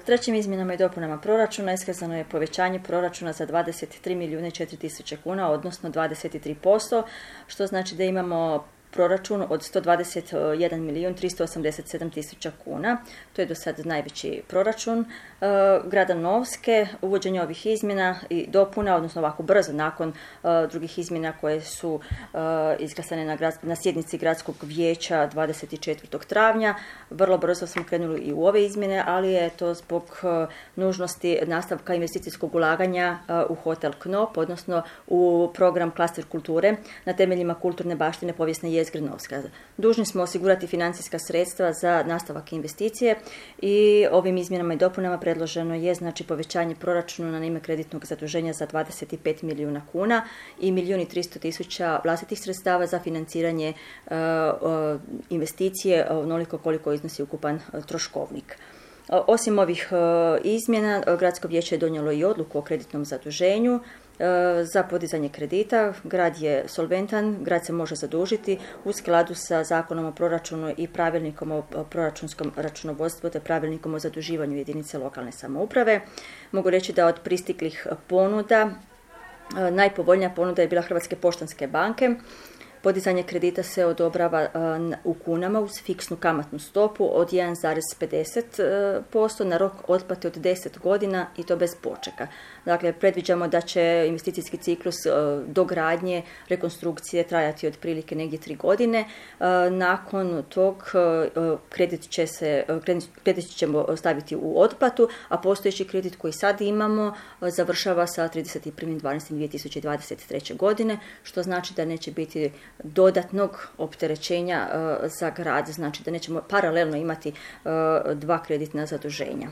Trećim izmjenama i dopunama proračuna iskazano je povećanje proračuna za 23 milijuna i 4 tisuće kuna, odnosno 23%, što znači da imamo proračun od 121 milijun 387 tisuća kuna. To je do sad najveći proračun grada Novske. Uvođenje ovih izmjena i dopuna, odnosno ovako brzo nakon drugih izmjena koje su izglasane na sjednici gradskog vijeća 24. travnja. Vrlo brzo smo krenuli i u ove izmjene, ali je to zbog nužnosti nastavka investicijskog ulaganja u hotel Knop, odnosno u program Klaster kulture na temeljima kulturne baštine povijesne jezgre Novska. Dužni smo osigurati financijska sredstva za nastavak investicije i ovim izmjenama i dopunama predloženo je znači povećanje proračuna na ime kreditnog zaduženja za 25 milijuna kuna i 1.300.000 vlastitih sredstava za financiranje investicije onoliko koliko iznosi ukupan troškovnik. Osim ovih izmjena, Gradsko vijeće je donijelo i odluku o kreditnom zaduženju za podizanje kredita. Grad je solventan, grad se može zadužiti u skladu sa Zakonom o proračunu i Pravilnikom o proračunskom računovodstvu te Pravilnikom o zaduživanju jedinice lokalne samouprave. Mogu reći da od pristiglih ponuda najpovoljnija ponuda je bila Hrvatske poštanske banke. Podizanje kredita se odobrava u kunama uz fiksnu kamatnu stopu od 1,50% na rok otplate od 10 godina i to bez počeka. Dakle, predviđamo da će investicijski ciklus dogradnje, rekonstrukcije trajati otprilike negdje 3 godine. Nakon tog kredit ćemo staviti u otplatu, a postojeći kredit koji sad imamo završava sa 31.12.2023. godine, što znači da neće biti dodatnog opterećenja za grad, znači da nećemo paralelno imati dva kreditna zaduženja.